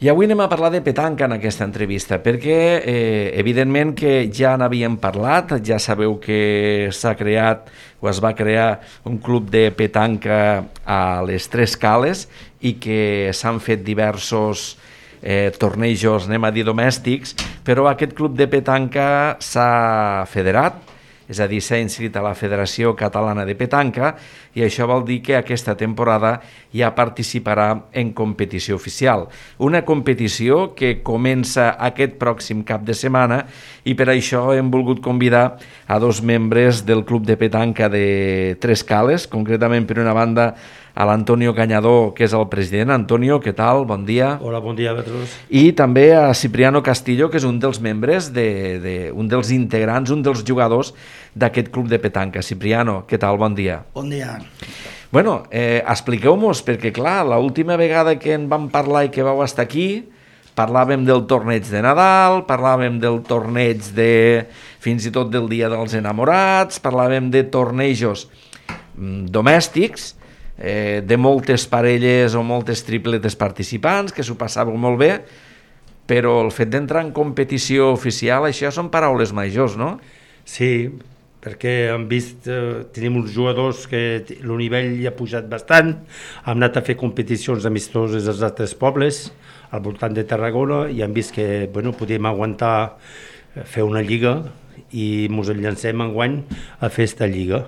I avui anem a parlar de petanca en aquesta entrevista, perquè evidentment que ja n'havíem parlat, ja sabeu que s'ha creat o es va crear un club de petanca a les Tres Cales i que s'han fet diversos tornejos, anem a dir domèstics, però aquest club de petanca s'ha federat, és a dir, s'ha inscrit a la Federació Catalana de Petanca i això vol dir que aquesta temporada ja participarà en competició oficial. Una competició que comença aquest pròxim cap de setmana i per això hem volgut convidar a dos membres del Club de Petanca de Tres Cales, concretament per una banda a l'Antonio Cañadó, que és el president. Antonio, què tal? Bon dia. Hola, bon dia, Petrus. I també a Cipriano Castillo, que és un dels membres, un dels integrants, un dels jugadors d'aquest club de petanca. Cipriano, què tal? Bon dia. Bon dia. Bueno, expliqueu-nos, perquè clar, l'última vegada que en vam parlar i que vau estar aquí, parlàvem del torneig de Nadal, parlàvem del torneig fins i tot del Dia dels Enamorats, parlàvem de tornejos domèstics, de moltes parelles o moltes tripletes participants, que s'ho passàveu molt bé, però el fet d'entrar en competició oficial, això són paraules majors, no? Sí, perquè hem vist, tenim uns jugadors que el nivell ja ha pujat bastant, hem anat a fer competicions amistoses als altres pobles, al voltant de Tarragona, i hem vist que podíem aguantar fer una lliga i ens llancem enguany a fer aquesta lliga.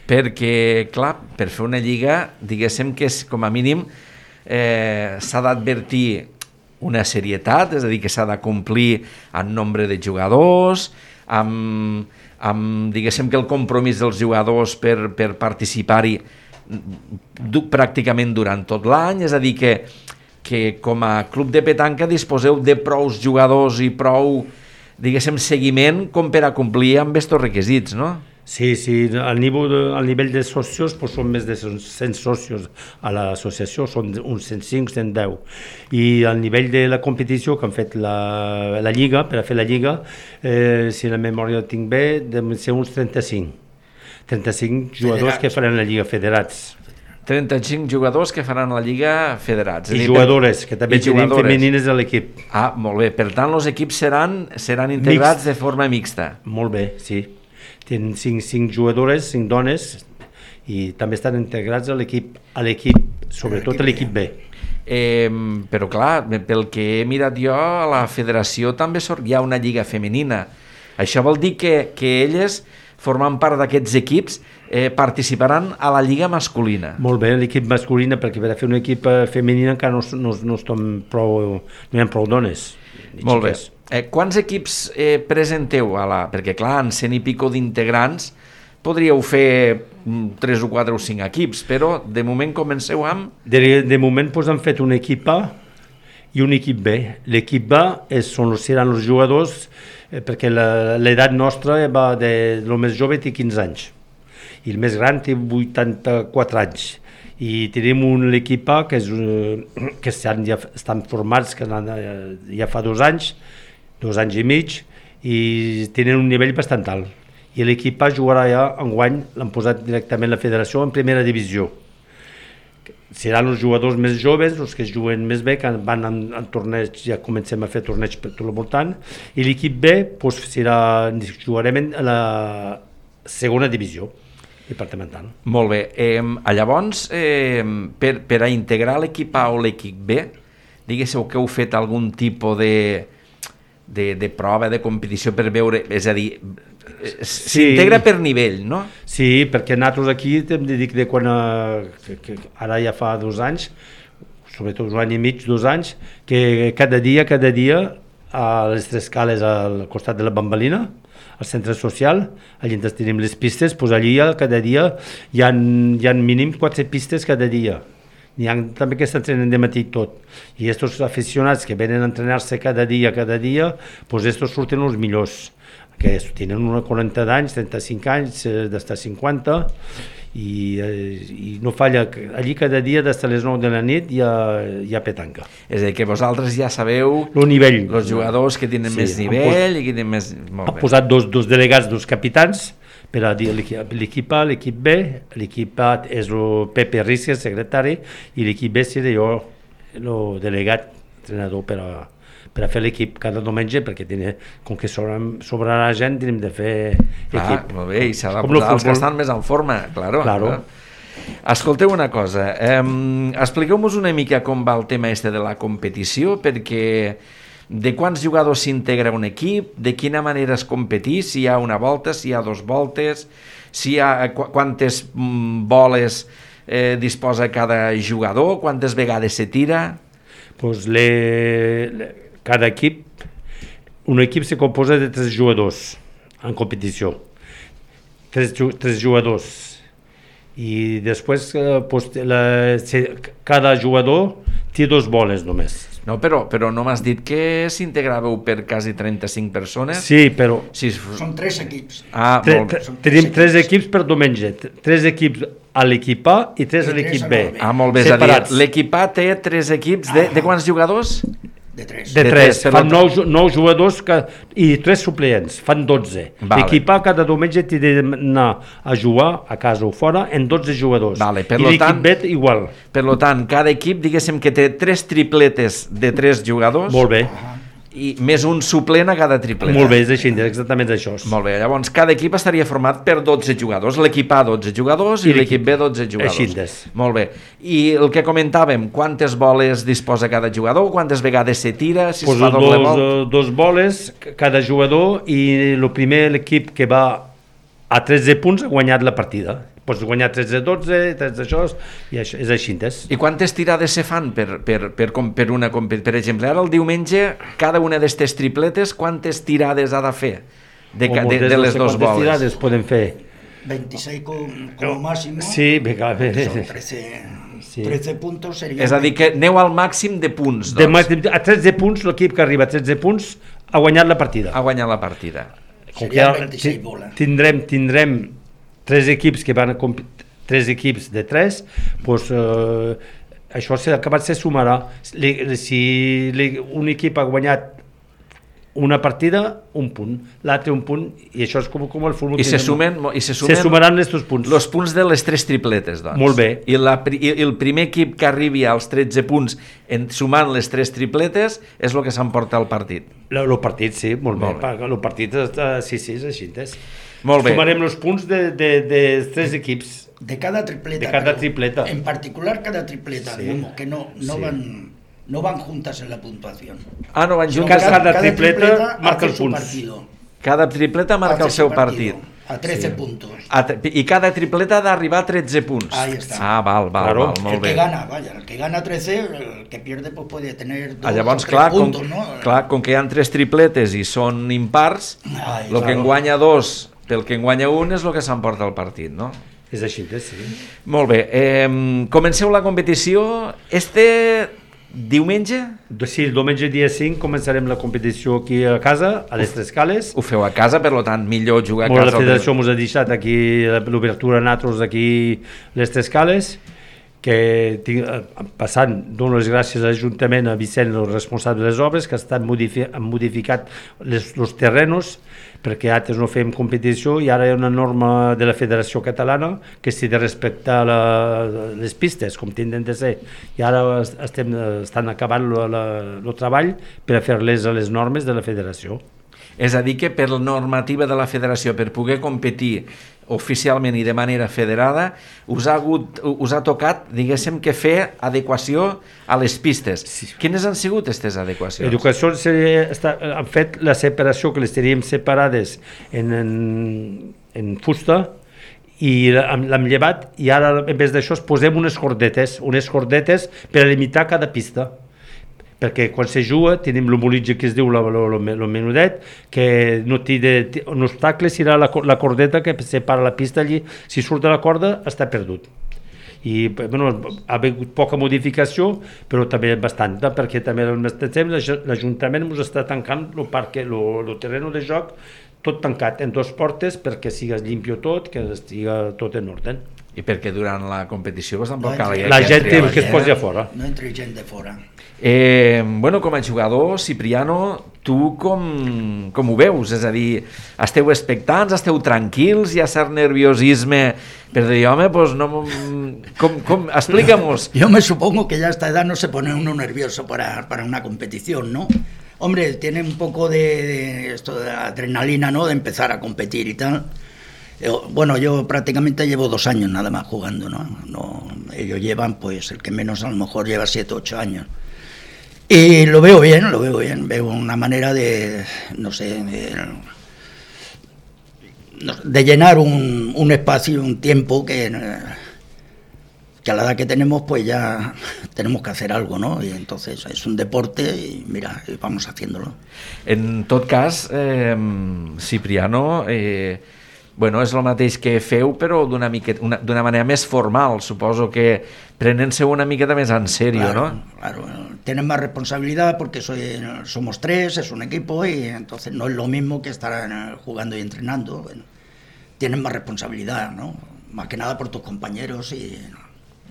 Perquè, clar, per fer una lliga, diguéssim que és, com a mínim s'ha d'advertir una serietat, és a dir, que s'ha de complir en nombre de jugadors, diguéssim que el compromís dels jugadors per participar-hi pràcticament durant tot l'any, és a dir, que com a club de petanca disposeu de prous jugadors i prou, diguéssim, seguiment com per a complir amb aquests requisits, no? Sí, al nivell de socios són més de 100 socios a l'associació, són uns 105, 110. I al nivell de la competició que han fet la Lliga, per a fer la Lliga, si la memòria el tinc bé, deuen ser uns 35. 35 jugadors que faran la Lliga federats. 35 jugadors que faran la Lliga federats. I jugadores, que també tenim femenines a l'equip. Ah, molt bé. Per tant, els equips seran integrats de forma mixta. Molt bé, sí. Tenen 5 jugadores, 5 dones, i també estan integrats a l'equip, sobretot a l'equip B. Però clar, pel que he mirat jo, a la federació també hi ha una lliga femenina. Això vol dir que elles, formant part d'aquests equips, participaran a la lliga masculina. Molt bé, l'equip masculina, perquè per a fer una equip femenina encara no hi ha prou dones. Molt bé. Quants equips presenteu? Perquè clar, en 100 i pico d'integrants podríeu fer 3 o 4 o 5 equips, però de moment comenceu amb... De moment hem fet un equip A i un equip B. L'equip A seran els jugadors, perquè l'edat nostra va el més jove té 15 anys i el més gran té 84 anys. I tenim l'equip A que ja estan formats ja fa 2 anys i mig, i tenen un nivell bastant alt. I l'equip A jugarà ja enguany, l'han posat directament a la federació en primera divisió. Seran els jugadors més joves, els que juguen més bé, que van en torneig, ja comencem a fer torneig per tot el voltant, i l'equip B jugarem a la segona divisió departamental. Molt bé. Llavors, per a integrar l'equip A o l'equip B, diguéssiu que heu fet algun tipus de prova, de competició per veure, és a dir, s'integra per nivell, no? Sí, perquè nosaltres aquí hem de dir que quan ara ja fa 2 anys, sobretot 1 any i mig, 2 anys, que cada dia a les Tres Cales al costat de la Bambalina, al centre social, allà tenim les pistes, doncs allà cada dia hi ha mínim 4 pistes cada dia. N'hi ha també que s'entrenen de matí tot. I aquests aficionats que venen a entrenar-se cada dia, doncs aquests surten els millors, que tenen uns 40 d'anys, 35 anys, d'estar 50, i no falla, allí cada dia des de les 9 de la nit hi ha petanca. És a dir, que vosaltres ja sabeu el nivell, els jugadors que tenen més nivell i que tenen més... Han posat dos delegats, 2 capitans, per a dir l'equip A, l'equip B. L'equip A és el Pepe Rísquez, secretari, i l'equip B seré jo, el delegat entrenador per a fer l'equip cada diumenge, perquè com que sobrarà gent, tenim de fer equip. Molt bé, i s'ha de posar els que estan més en forma, claro. Escolteu una cosa, expliqueu-nos una mica com va el tema de la competició, perquè de quants jugadors s'integra un equip, de quina manera es competeix, si hi ha una volta, si hi ha 2 voltes, si hi ha quantes boles disposa cada jugador, quantes vegades se tira? Pues cada equip, un equip se composa de 3 jugadors en competició, 3 jugadors, i després pues, cada jugador té 2 boles només. No, però no m'has dit que s'integràveu per quasi 35 persones? Sí, però... Són 3 equips. Tenim 3 equips per diumenge, 3 equips a l'equip A i 3 a l'equip B. Molt bé, és a dir, l'equip A té 3 equips de quants jugadors? De 3. De 3, fan 9 jugadors i 3 suplents, fan 12. L'equip A cada diumenge té d'anar a jugar a casa o fora en 12 jugadors. I l'equip B igual. Per tant, cada equip, diguéssim que té 3 tripletes de 3 jugadors. Molt bé. I més un suplent a cada tripleta. Molt bé, és així, exactament això. Molt bé, llavors cada equip estaria format per 12 jugadors, l'equip A 12 jugadors i l'equip B 12 jugadors. Així. Molt bé. I el que comentàvem, quantes boles disposa cada jugador, quantes vegades se tira, si es fa doble volt? 2 boles cada jugador i el primer l'equip que va a 13 punts ha guanyat la partida. Pots guanyar 13-12, 3 d'això, i això és així. I quantes tirades se fan per una competició? Per exemple, ara el diumenge, cada una d'aquestes tripletes, quantes tirades ha de fer de les 2 boles? Quantes tirades poden fer? 26 com máximo. Sí, son 13 puntos serían... És a dir, que aneu al màxim de punts. A 13 punts, l'equip que arriba a 13 punts ha guanyat la partida. Ha guanyat la partida. Serien 26 boles. Tindrem 3 equips que van a 3 equips de 3, doncs això s'ha acabat se sumarà. Si un equip ha guanyat una partida, un punt, l'altre un punt, i això és com el futbol. I se sumaran els 2 punts. Els punts de les 3 tripletes, doncs. Molt bé. I el primer equip que arribi als 13 punts sumant les 3 tripletes és el que s'emporta el partit. El partit, sí, molt bé. El partit, sí, és així. Molt bé. Sumarem els punts de 3 equips. De cada tripleta. En particular cada tripleta, que no van juntas en la puntuación. No van juntas. Cada tripleta marca el punts. Cada tripleta marca el seu partit. A 13 puntos. I cada tripleta ha d'arribar a 13 punts. Ahí está. Val, molt bé. El que gana 13, el que pierde pues puede tener 2 llavors, o 3 puntos, ¿no? Clar, com que hi ha 3 tripletes i són impars, el que en guanya 2 pel que en guanya 1 és el que s'emporta el partit, no? És així, sí. Molt bé. Comenceu la competició diumenge? Sí, el diumenge dia 5 començarem la competició aquí a casa, a les Tres Cales. Ho feu a casa, per tant, millor jugar a casa. La federació ens ha deixat aquí l'obertura a nosaltres aquí a les Tres Cales, que dono les gràcies a l'Ajuntament, a Vicent, el responsable de les obres, que han modificat els terrenos, perquè altres no fem competició i ara hi ha una norma de la Federació Catalana que s'ha de respectar les pistes, com tenen de ser. I ara estan acabant el treball per a fer-les a les normes de la Federació. És a dir, que per la normativa de la Federació, per poder competir oficialment i de manera federada, us ha tocat, diguéssim, que fer adequació a les pistes. Quines han sigut aquestes adequacions? L'educació han fet la separació, que les teníem separades en fusta, i l'hem llevat, i ara en vez d'això posem unes cordetes per a limitar cada pista, perquè quan se juga tenim l'homolitge que es diu el menudet, que no té un obstacle, serà la cordeta que separa la pista allí. Si surt de la corda està perdut. I ha hagut poca modificació, però també bastanta, perquè també al mateix temps l'Ajuntament ens està tancant el terreny de joc tot tancat en 2 portes perquè sigui limpio tot, que estigui tot en ordre. I perquè durant la competició tampoc cal la gent que es posi a fora. No entri gent de fora. Com a jugador, Cipriano, tu com ho veus? És a dir, esteu expectants, esteu tranquils, hi ha cert nerviosisme per dir, home, pues no... Explícamos. Yo me supongo que ya a esta edad no se pone uno nervioso para una competición, ¿no? Hombre, tiene un poco de esto de adrenalina, ¿no? De empezar a competir y tal. Bueno, yo prácticamente llevo 2 años nada más jugando, ¿no? Ellos llevan, pues, el que menos a lo mejor lleva 7 o 8 años. Y lo veo bien, veo una manera de, no sé, de llenar un espacio, un tiempo que a la edad que tenemos, pues ya tenemos que hacer algo, ¿no? Y entonces es un deporte y mira, vamos haciéndolo. En tot cas, Cipriano, bueno, és el mateix que feu, però d'una manera més formal. Suposo que prenent-se una miqueta més en sèrio, claro, ¿no? Claro, tienen más responsabilidad porque somos 3, es un equipo y entonces no es lo mismo que estar jugando y entrenando. Bueno, tienen más responsabilidad, ¿no? Más que nada por tus compañeros i...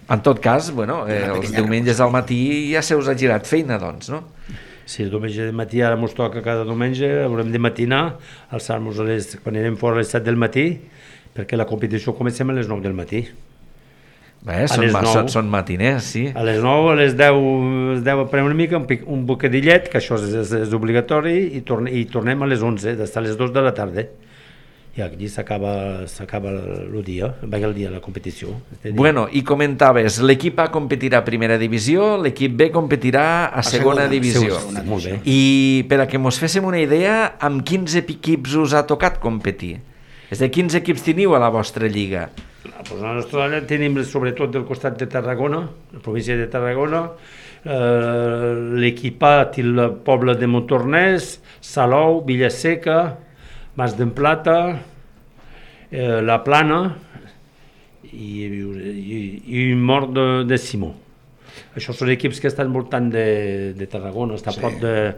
En tot cas, bueno, els diumenges al matí ja se us ha girat feina, doncs, no? Sí, el diumenge de matí, ara ens toca cada diumenge, haurem de matinar, alçar-nos quan anem fora a les 7 del matí, perquè la competició comencem a les 9 del matí. Bé, són matiners, sí. A les 9, a les 10 prenem una mica, un bocadillet, que això és obligatori, i tornem a les 11, d'estar a les 2 de la tarda. I aquí s'acaba el dia, el dia de la competició. Bueno, i comentaves, l'equip A competirà a primera divisió, l'equip B competirà a segona divisió. Molt bé. I per a que mos féssim una idea, amb quins equips us ha tocat competir? És a dir, quins equips teniu a la vostra lliga? Pues la nostra lliga tenim sobretot del costat de Tarragona, la província de Tarragona, l'equip A té el poble de Montornès, Salou, Villaseca, Mas d'Emplata, La Plana i Mort de Simó. Això són equips que estan voltant de Tarragona, està a prop de...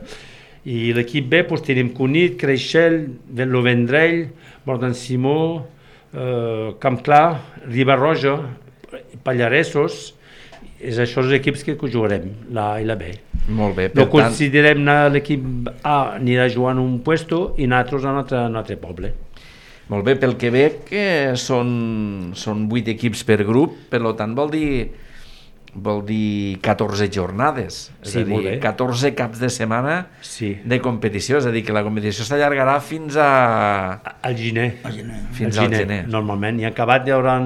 I l'equip B doncs, tenim Cunit, Creixell, lo Vendrell, Mort d'en Simó, Camp Clar, Riba-roja, Pallaresos. És això els equips que jugarem, la A i la B. Molt bé, no considerem l'equip A anirà jugant un puesto i nosaltres a un altre poble. Molt bé, pel que veig que són 8 equips per grup, per tant vol dir 14 jornades, és a dir, 14 caps de setmana de competició, és a dir, que la competició s'allargarà fins al gener. Fins al gener. Normalment, i acabat hi haurà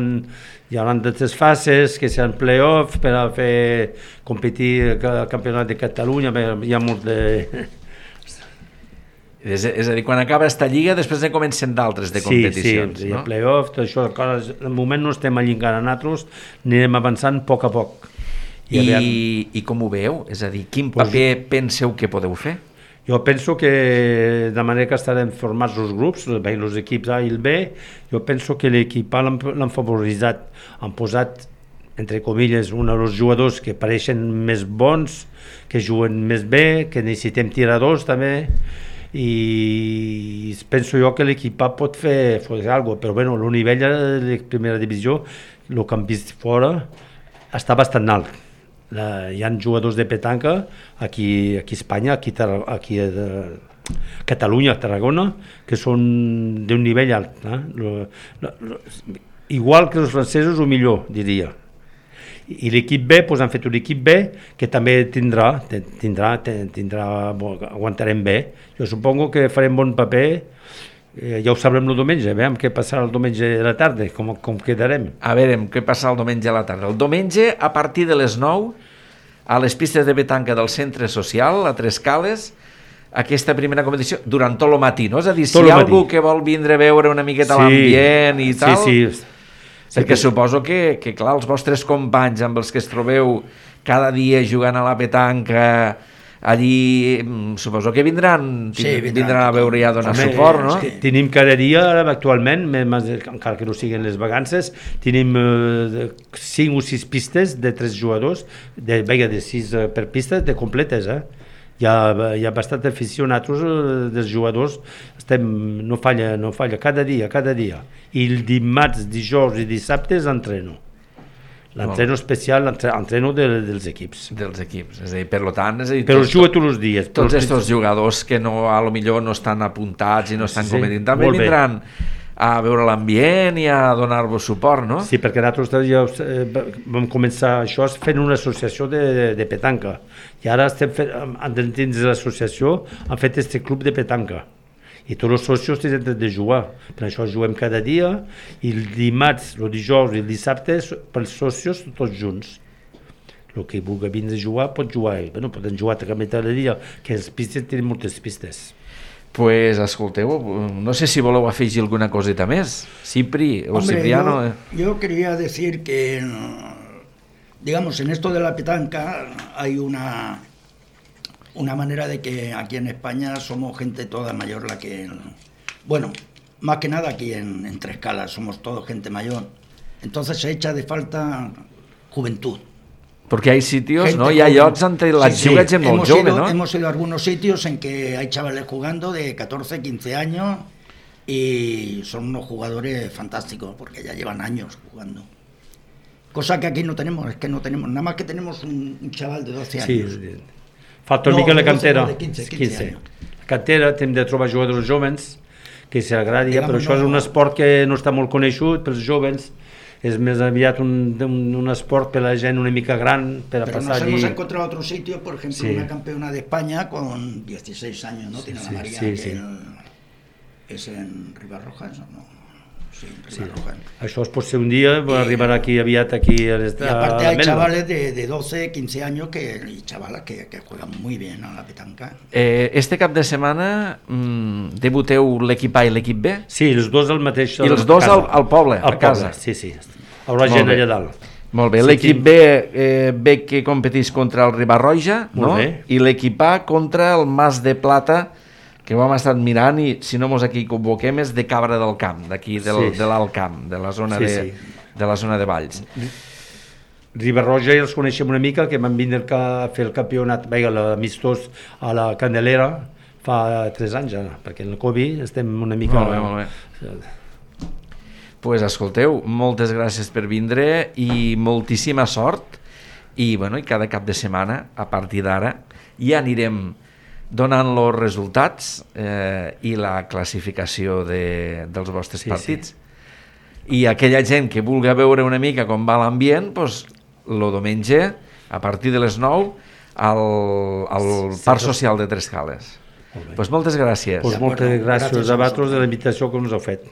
tres fases, que seran play-off per a fer competir el campionat de Catalunya, hi ha molt de... És a dir, quan acaba aquesta lliga, després ne comencen d'altres de competicions, no? Sí, hi ha play-off, tot això, al moment no estem allí encara nosaltres, anirem avançant a poc a poc. I com ho veieu? És a dir, quin paper penseu que podeu fer? Jo penso que de manera que estarem formats els grups, els equips A i el B, jo penso que l'equip A l'han favoritzat, han posat, entre comilles, dels jugadors que pareixen més bons, que juguen més bé, que necessitem tiradors també, i penso jo que l'equip A pot fer alguna cosa, però bueno, el nivell de primera divisió, el que hem vist fora, està bastant alt. Hi ha jugadors de petanca aquí a Espanya, aquí a Catalunya, a Tarragona, que són d'un nivell alt. Igual que els francesos o millor, diria. I l'equip B, doncs han fet un equip B que també tindrà, aguantarem bé. Jo supongo que farem bon paper, ja ho sabrem el diumenge, veiem què passarà el diumenge a la tarda, com quedarem. A veure, què passarà el diumenge a la tarda. El diumenge, a partir de les 9, a les pistes de petanca del centre social, a Tres Cales, aquesta primera competició, durant tot el matí, no? És a dir, si hi ha algú que vol vindre a veure una miqueta l'ambient i tal... Sí. Perquè suposo que, clar, els vostres companys amb els que es trobeu cada dia jugant a la petanca allí, suposo que vindran a veure i a donar suport, no? Tenim cada dia, actualment, encara que no siguin les vacances, tenim 5 o 6 pistes de 3 jugadors, de 6 per pista, de completes, Hi ha bastant afició, nosaltres dels jugadors no falla cada dia, i el dimarts, dijous i dissabtes entreno. L'entreno especial, l'entreno dels equips. Dels equips, és a dir, per tant... És a dir, però els juga tots els dies. Tots aquests jugadors que no, a lo millor no estan apuntats i no estan competint, també molt bé. vindran a veure l'ambient i a donar-vos suport, no? Sí, perquè nosaltres ja vam començar això fent una associació de petanca i ara estem fent, dins de l'associació han fet este club de petanca i tots els socios tenen dret de jugar, per això juguem cada dia i el dimarts, el dijous i el dissabte pels socios tots junts. El que vulgui vindre a jugar pot jugar, bueno, poden jugar també cada dia, que les pistes tenen moltes pistes. Pues escolteu, no sé si voleu afegir alguna coseta més. Cipri o Hombre, Cipriano. Yo quería decir que, digamos, en esto de la petanca hay una manera de que aquí en España somos gente toda mayor la que... Bueno, más que nada aquí en Trescala somos todos gente mayor. Entonces se echa de falta juventud. Porque hay sitios, Gente ¿no? Y hay llocs on la Sí, juga gent molt jove, ¿no? Hemos ido a algunos sitios en que hay chavales jugando de 14, 15 años y son unos jugadores fantásticos porque ya llevan años jugando. Cosa que aquí no tenemos, es que no tenemos, nada más que tenemos un chaval de 12 años. Sí, falta una mica la cantera. De 15 anys. La cantera, hem de trobar jugadors jovens que s'agradi, però això és un no. esport que no està molt conegut pels jovens, és més aviat un esport per la gent una mica gran, per a Pero passar nos allí. hemos encontrado otros sitios, por ejemplo, Sí. una campeona de España con 16 años, ¿no? Tiene la María, sí, que sí. es en Ribarrojas, ¿o no? Sí, Ribarrojas. Això es pot ser un dia, arribar aquí aviat aquí a Y aparte hay chavales de 12, 15 años y chavalas que juegan muy bien a la petanca. Este cap de setmana debuteu l'equip A i l'equip B? Sí, els dos al mateix... I els dos al poble, a casa? Sí, sí. Hi haurà gent allà dalt. Molt bé, Sí, l'equip B que competís contra el Ribarroja, no? Molt bé. I l'equip A contra el Mas de Plata, que ho hem estat mirant i si no mos equivoquem és de Cabra del Camp, d'aquí de l'Alt Camp, de la zona de la zona de Valls. Ribarroja ja els coneixem una mica, que van vindre a fer el campionat, l'amistós a la Candelera fa 3 anys ara, perquè en el Covid estem una mica... Molt bé. Pues escolteu, moltes gràcies per vindre i moltíssima sort i, bueno, i cada cap de setmana, a partir d'ara, ja anirem donant els resultats i la classificació dels vostres partits. I aquella gent que vulgui veure una mica com va l'ambient, doncs, el diumenge, a partir de les 9, al Parc Social de Trescales. Doncs moltes gràcies. Moltes gràcies a vosaltres de la invitació que ens heu fet.